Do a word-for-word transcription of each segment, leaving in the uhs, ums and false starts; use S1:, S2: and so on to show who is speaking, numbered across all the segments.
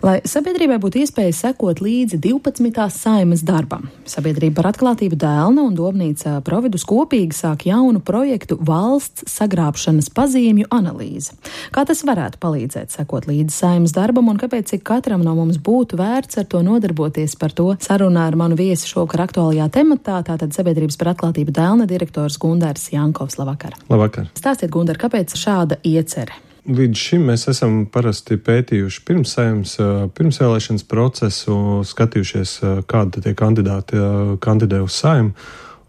S1: Lai sabiedrībai būtu iespēja sekot līdzi divpadsmitās Saeimas darbam, Sabiedrība par atklātību Dēlna un Domnīca Providus kopīgi sāk jaunu projektu valsts sagrābšanas pazīmju analīze. Kā tas varētu palīdzēt sekot līdzi Saeimas darbam un kāpēc ik katram no mums būtu vērts ar to nodarboties, par to sarunā ar manu viesi šovakar aktuālajā tematā, tātad Sabiedrības par atklātību Dēlna direktors Gundars Jankovs. Labvakar.
S2: Labvakar.
S1: Stāstiet, Gundar, kāpēc šāda iecere?
S2: Līdz šim mēs esam parasti pētījuši pirms Saeimas, pirmsvēlēšanas procesu, skatījušies, kādi tie kandidāti kandidē uz Saimu,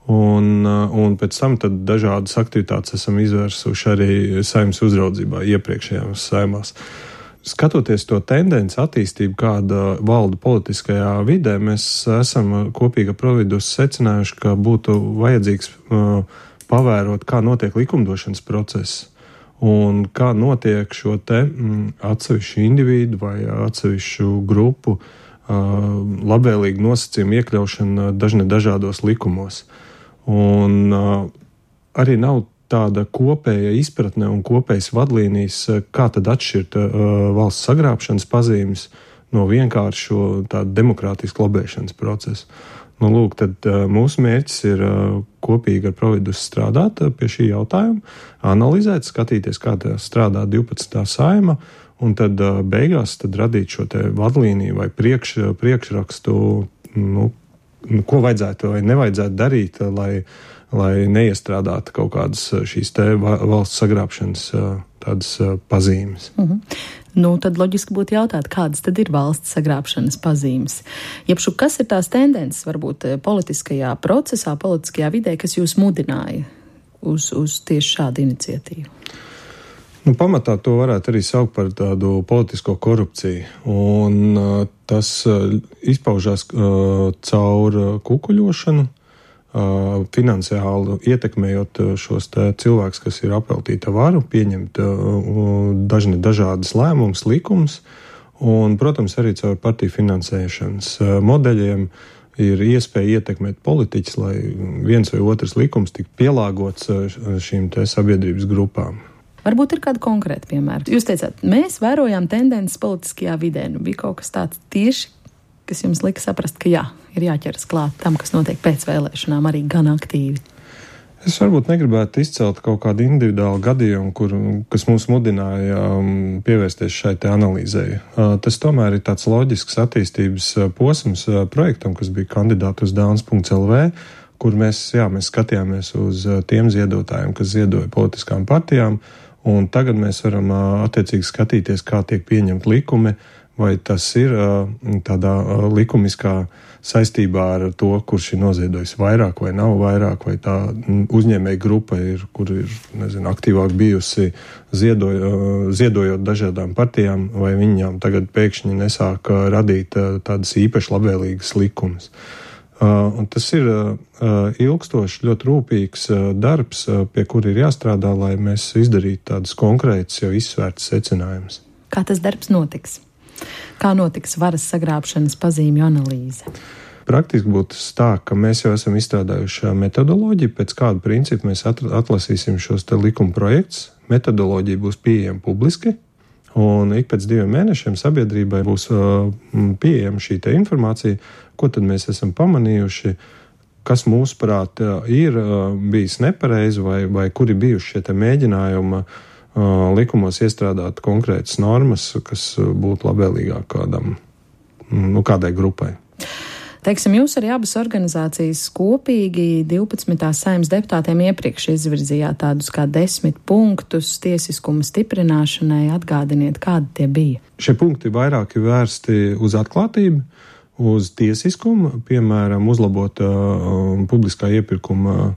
S2: un, un pēc tam tad dažādas aktivitātes esam izvērsuši arī Saimas uzraudzībā iepriekšējās Saimās. Skatoties to tendenci attīstību, kāda valda politiskajā vidē, mēs esam kopīgi ar Providus secinājuši, ka būtu vajadzīgs pavērot, kā notiek likumdošanas process. Un kā notiek šo te mm, atsevišķu individu vai atsevišķu grupu uh, labvēlīgu nosacījumu iekļaušana dažne dažādos likumos. Un uh, arī nav tāda kopēja izpratne un kopējas vadlīnijas, kā tad atšķirt uh, valsts sagrābšanas pazīmes no vienkāršo tādu demokrātisku lobēšanas procesu. Nu, lūk, tad uh, mūsu mērķis ir uh, kopīgi ar Providus strādāt uh, pie šī jautājuma, analizēt, skatīties, kā tā strādā divpadsmitā Saeima, un tad uh, beigās tad radīt šo te vadlīniju vai priekš, priekšrakstu, nu, ko vajadzētu vai nevajadzētu darīt, lai, lai neiestrādātu kaut kādas šīs te valsts sagrābšanas uh, tādas uh, pazīmes.
S1: Mhm. Nu, tad loģiski būtu jautāt, kādas tad ir valsts sagrābšanas pazīmes. Jebšu, kas ir tās tendences, varbūt politiskajā procesā, politiskajā vidē, kas jūs mudināja uz, uz tieši šādu iniciatīvu?
S2: Nu, pamatā to varētu arī saukt par tādu politisko korupciju. Un uh, tas uh, izpaužās uh, caur uh, kukuļošanu, Uh, finansiāli ietekmējot šos cilvēkus, kas ir apveltīti varu, pieņemt uh, dažne dažādas lēmumus, likumus, un, protams, arī caur partiju finansēšanas uh, modeļiem ir iespēja ietekmēt politiķus, lai viens vai otrs likums tik pielāgots uh, šīm te sabiedrības grupām.
S1: Varbūt ir kāda konkrēta piemēra. Jūs teicāt, mēs vērojām tendences politiskajā vidē. Nu, bija kaut kas tāds tieši, kas jums lika saprast, ka jā, ir jāķeras klāt tam, kas notiek pēc vēlēšanām, arī gan aktīvi?
S2: Es varbūt negribētu izcelt kaut kādu individuālu gadījumu, kur, kas mūs mudināja um, pievērsties šai te analīzei. Uh, tas tomēr ir tāds loģisks attīstības uh, posms uh, projektam, kas bija kandidāti uz dēlns punkts el vē, kur mēs, jā, mēs skatījāmies uz uh, tiem ziedotājiem, kas ziedoja politiskām partijām, un tagad mēs varam uh, attiecīgi skatīties, kā tiek pieņemt likumi, vai tas ir uh, tādā uh, likumiskā saistībā ar to, kurš ir noziedojis vairāk vai nav vairāk, vai tā uzņēmēja grupa ir, kur ir, nezinu, aktīvāk bijusi ziedoj, uh, ziedojot dažādām partijām, vai viņām tagad pēkšņi nesāk uh, radīt uh, tādas īpaši labvēlīgas likumus. Uh, un tas ir uh, ilgstošs, ļoti rūpīgs uh, darbs, uh, pie kura ir jāstrādā, lai mēs izdarītu tādas konkrētas, jau izsvērtas secinājumus.
S1: Kā tas darbs notiks? Kā notiks varas sagrābšanas pazīmju analīze?
S2: Praktiski būtu tā, ka mēs jau esam izstrādājuši metodoloģiju, pēc kādu principu mēs atlasīsim šos te likuma projektus. Metodoloģija būs pieejama publiski, un ik pēc diviem mēnešiem sabiedrībai būs pieejama šī te informācija, ko tad mēs esam pamanījuši, kas mūsuprāt ir bijis nepareizi vai, vai kuri bijuši šie te mēģinājumi likumos iestrādāt konkrētas normas, kas būtu labvēlīgāk kādam, nu, kādai grupai.
S1: Teiksim, jūs arī abas organizācijas kopīgi divpadsmitās Saeimas deputātiem iepriekš izvirzījāt tādus kā desmit punktus tiesiskuma stiprināšanai. Atgādiniet, kādi tie bija?
S2: Šie punkti vairāk ir vērsti uz atklātību, uz tiesiskumu, piemēram, uzlabot uh, publiskā iepirkuma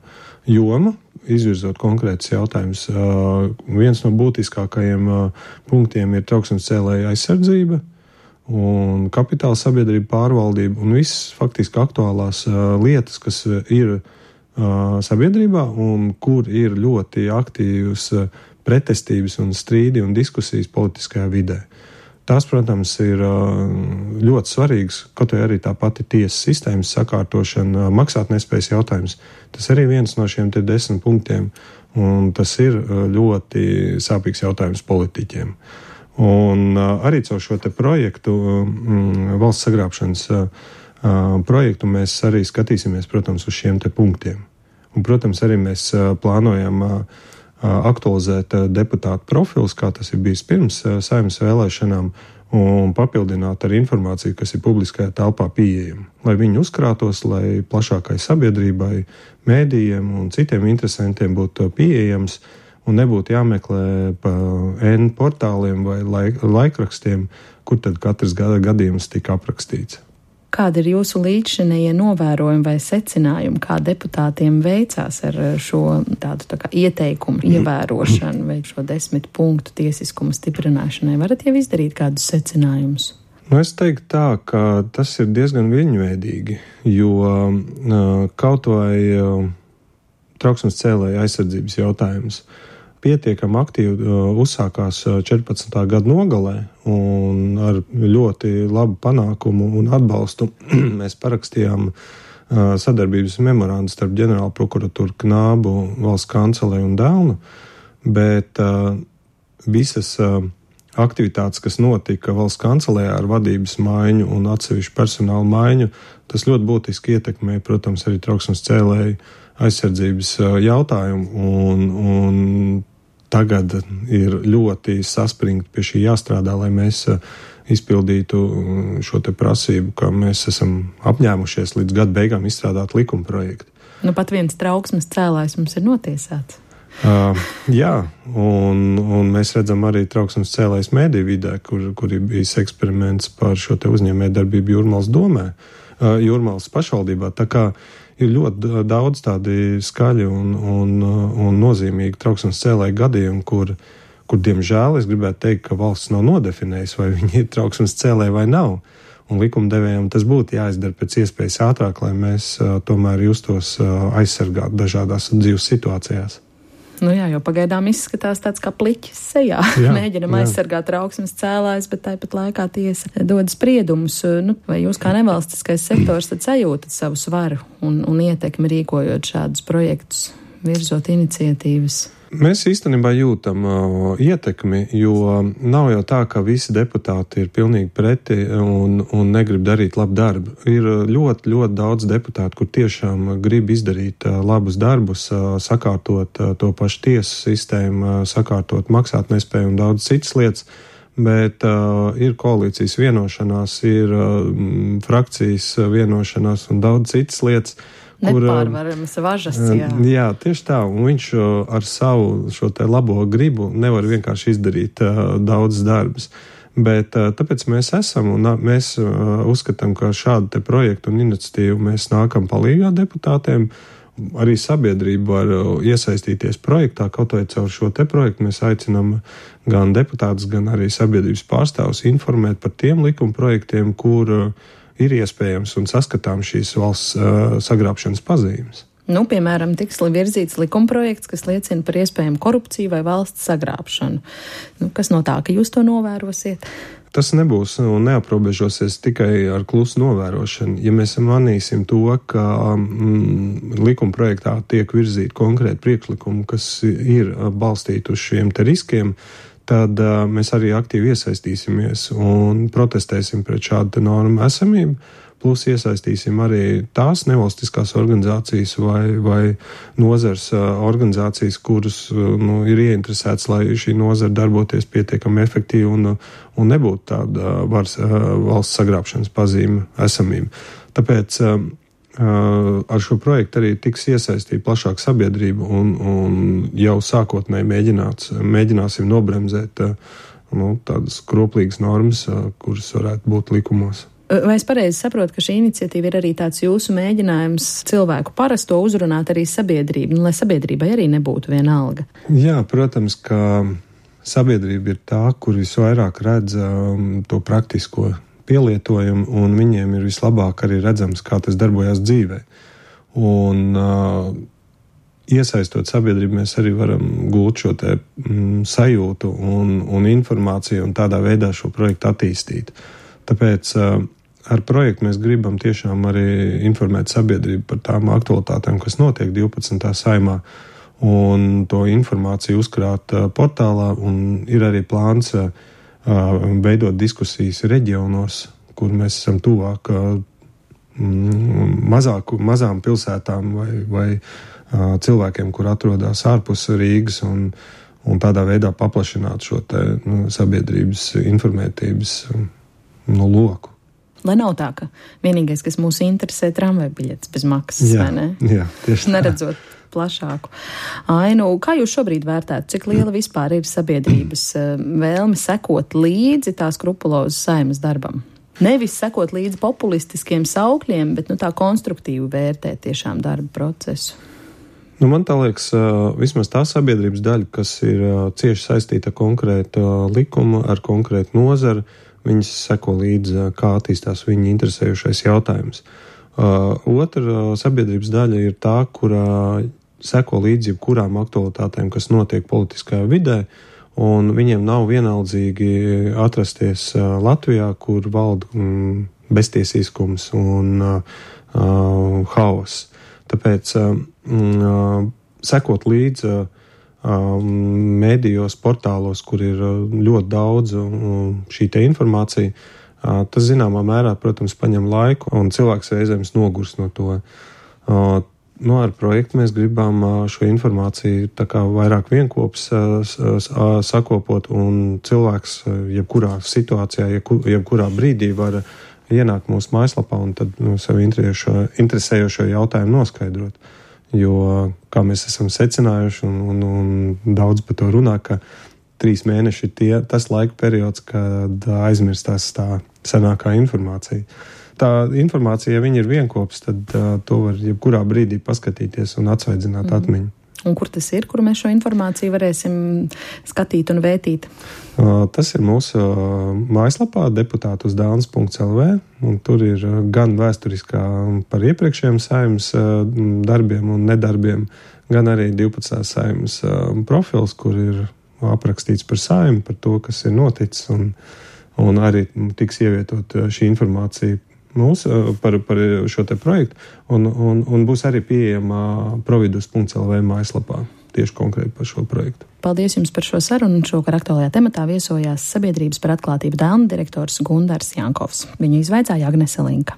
S2: jomu, izvirzot konkrētus jautājumus. Uh, viens no būtiskākajiem uh, punktiem ir trauksmes cēlēja aizsardzība un kapitāla sabiedrība pārvaldība un visas faktiski aktuālās uh, lietas, kas ir uh, sabiedrībā un kur ir ļoti aktīvas uh, pretestības un strīdi un diskusijas politiskajā vidē. Tās, protams, ir ļoti svarīgas, kaut arī tā pati tiesas sistēmas sakārtošana, maksātnespējas jautājums. Tas arī viens no šiem te desmit punktiem, un tas ir ļoti sāpīgs jautājums politiķiem. Un arī caur šo te projektu, valsts sagrābšanas projektu, mēs arī skatīsimies, protams, uz šiem te punktiem. Un, protams, arī mēs plānojam aktualizēt deputātu profilus, kā tas ir bijis pirms Saeimas vēlēšanām, un papildināt ar informāciju, kas ir publiskajā telpā pieejama, lai viņi uzkrātos, lai plašākai sabiedrībai, mēdījiem un citiem interesantiem būtu pieejams un nebūtu jāmeklē pa N portāliem vai laik, laikrakstiem, kur tad katrs gada gadījums tika aprakstīts.
S1: Kāda ir jūsu līdzšinējie novērojumi vai secinājumi, kā deputātiem veicās ar šo tādu tā kā ieteikumu ievērošanu vai šo desmit punktu tiesiskuma stiprināšanai? Varat jau izdarīt kādus secinājumus?
S2: Nu, es teiktu tā, ka tas ir diezgan viļņveidīgi, jo kaut vai trauksmes cēlēja aizsardzības jautājums pietiekami aktīvi uzsākās četrpadsmitā gada nogalē un ar ļoti labu panākumu un atbalstu mēs parakstījām sadarbības memorandu starp ģenerālu prokuratūru Knābu, valsts kancelēju un Dēlnu, bet visas aktivitātes, kas notika valsts kancelējā ar vadības maiņu un atsevišķu personālu maiņu, tas ļoti būtiski ietekmē, protams, arī trauksmes cēlēju aizsardzības jautājumu, un, un tagad ir ļoti saspringti pie šī jāstrādā, lai mēs izpildītu šo te prasību, ka mēs esam apņēmušies līdz gada beigām izstrādāt likuma projektu.
S1: Nu, pat viens trauksmes cēlājs mums ir notiesāts.
S2: Uh, jā, un, un mēs redzam arī trauksmes cēlājs mediju vidē, kur, kur ir bijis eksperiments par šo te uzņēmējdarbību Jūrmalas domē, uh, Jūrmalas pašvaldībā. Tā kā ir ļoti daudz tādi skaļi un, un, un nozīmīgi trauksmes cēlāju gadījumi, kur, kur, diemžēl, es gribētu teikt, ka valsts nav nodefinējusi, vai viņi ir trauksmes cēlāji vai nav. Un likumdevējiem tas būtu jāizdara pēc iespējas ātrāk, lai mēs uh, tomēr justos uh, aizsargāt dažādās dzīves situācijās.
S1: Nu jā, jo pagaidām izskatās tāds kā pliķis sejā. Jā, Mēģinam jā. aizsargāt trauksmes cēlājus, bet tāpat laikā tiesa dod spriedumus. Nu, vai jūs kā nevalstiskais sektors tad sajūtat savu svaru un, un ietekmi rīkojot šādus projektus, virzot iniciatīvas?
S2: Mēs īstenībā jūtam uh, ietekmi, jo nav jau tā, ka visi deputāti ir pilnīgi preti un, un negrib darīt labu darbu. Ir ļoti, ļoti daudz deputātu, kur tiešām grib izdarīt uh, labus darbus, uh, sakārtot uh, to pašu tiesu sistēmu, uh, sakārtot maksātnespēju un daudz citas lietas, bet uh, ir koalīcijas vienošanās, ir uh, frakcijas vienošanās un daudz citas lietas,
S1: nepārvaramas važas, jā.
S2: Jā, tieši tā, un viņš ar savu šo te labo gribu nevar vienkārši izdarīt uh, daudz darbus. Bet uh, tāpēc mēs esam, un uh, mēs uh, uzskatām, ka šādu te projektu un iniciatīvu mēs nākam palīgā deputātiem. Arī sabiedrība var uh, iesaistīties projektā, kaut vai caur šo te projektu mēs aicinām gan deputātus, gan arī sabiedrības pārstāvus informēt par tiem likuma projektiem, kur uh, ir iespējams un saskatām šīs valsts uh, sagrābšanas pazīmes.
S1: Nu, piemēram, tiks virzīts likumprojekts, kas liecina par iespējamu korupciju vai valsts sagrābšanu. Nu, kas no tā, ka jūs to novērosiet?
S2: Tas nebūs un neaprobežosies tikai ar klusu novērošanu. Ja mēs manīsim to, ka mm, likumprojektā tiek virzīti konkrēti priekšlikumi, kas ir balstīti uz šiem te riskiem, tad uh, mēs arī aktīvi iesaistīsimies un protestēsim pret šādu normu esamību, plus iesaistīsim arī tās nevalstiskās organizācijas vai, vai nozars uh, organizācijas, kuras uh, nu, ir ieinteresētas, lai šī nozara darboties pietiekami efektīvi un, un nebūtu tāda uh, vars, uh, valsts sagrābšanas pazīme esamība. Tāpēc uh, Uh, ar šo projektu arī tiks iesaistīta plašāka sabiedrība un, un jau sākotnēji mēģināts, mēģināsim nobremzēt uh, nu, tādas kroplīgas normas, uh, kuras varētu būt likumos.
S1: Vai es pareizi saprotu, ka šī iniciatīva ir arī tāds jūsu mēģinājums cilvēku parasto uzrunāt arī sabiedrību, nu, lai sabiedrībai arī nebūtu vienalga?
S2: Jā, protams, ka sabiedrība ir tā, kur visvairāk redz um, to praktisko pielietojumu, un viņiem ir vislabāk arī redzams, kā tas darbojas dzīvē. Un uh, iesaistot sabiedrību, mēs arī varam gūt šo te mm, sajūtu un, un informāciju un tādā veidā šo projektu attīstīt. Tāpēc uh, ar projektu mēs gribam tiešām arī informēt sabiedrību par tām aktualitātēm, kas notiek divpadsmitā saimā, un to informāciju uzkrāt uh, portālā, un ir arī plāns uh, veidot diskusijas reģionos, kur mēs esam tuvāk mazāku, mazām pilsētām vai, vai cilvēkiem, kur atrodas ārpus Rīgas, un, un tādā veidā paplašināt šo te, nu, sabiedrības informētības no loku.
S1: Lai nav tā, ka vienīgais, kas mūs interesē, tramvaju biļetes bez maksas,
S2: jā,
S1: vai ne?
S2: Jā, tieši tā.
S1: Neredzot plašāku ainu. Kā jūs šobrīd vērtētu, cik liela vispār ir sabiedrības vēlme sekot līdzi tā skrupulozu Saeimas darbam? Nevis sekot līdzi populistiskiem saukļiem, bet nu, tā konstruktīvi vērtēt tiešām darba procesu.
S2: Nu, man tā liekas, vismaz tā sabiedrības daļa, kas ir cieši saistīta ar konkrētu likumu, ar konkrētu nozaru, viņas seko līdzi, kā attīstās viņa interesējušais jautājums. Uh, otra sabiedrības daļa ir tā, kurā seko līdzi jebkurām aktualitātēm, kas notiek politiskajā vidē, un viņiem nav vienaldzīgi atrasties uh, Latvijā, kur valda mm, beztiesiskums un uh, uh, haoss. Tāpēc uh, uh, sekot līdzi uh, mēdījos, portālos, kur ir ļoti daudz šī te informācija, tas zināmā mērā, protams, paņem laiku, un cilvēks reizēm nogurst no to. Nu, ar projektu mēs gribam šo informāciju tā kā vairāk vienkops sakopot, un cilvēks jebkurā situācijā, jebkurā brīdī var ienākt mūsu mājaslapā un tad nu, sev interesējošo jautājumu noskaidrot. Jo, kā mēs esam secinājuši, un, un, un daudz par to runā, ka trīs mēneši ir tie, tas laika periods, kad aizmirstās tā senākā informācija. Tā informācija, ja viņa ir vienkops, tad uh, to var jebkurā brīdī paskatīties un atsvaidzināt mm. atmiņu.
S1: Un kur tas ir, kur mēs šo informāciju varēsim skatīt un vētīt?
S2: Uh, tas ir mūsu uh, mājaslapā deputātusdēlns punkts el vē, un tur ir uh, gan vēsturiskā par iepriekšējiem Saeimas uh, darbiem un nedarbiem, gan arī divpadsmitās Saeimas uh, profils, kur ir aprakstīts par Saimu, par to, kas ir noticis, un, un arī tiks ievietot šī informācija mūs par, par šo te projektu, un, un, un būs arī pieejama providus punkts el vē mājaslapā tieši konkrēti par šo projektu.
S1: Paldies jums par šo sarunu. Šovakar aktuālajā tematā viesojās Sabiedrības par atklātību dēlna direktors Gundars Jankovs. Viņu izvaicāja Agnese Linka.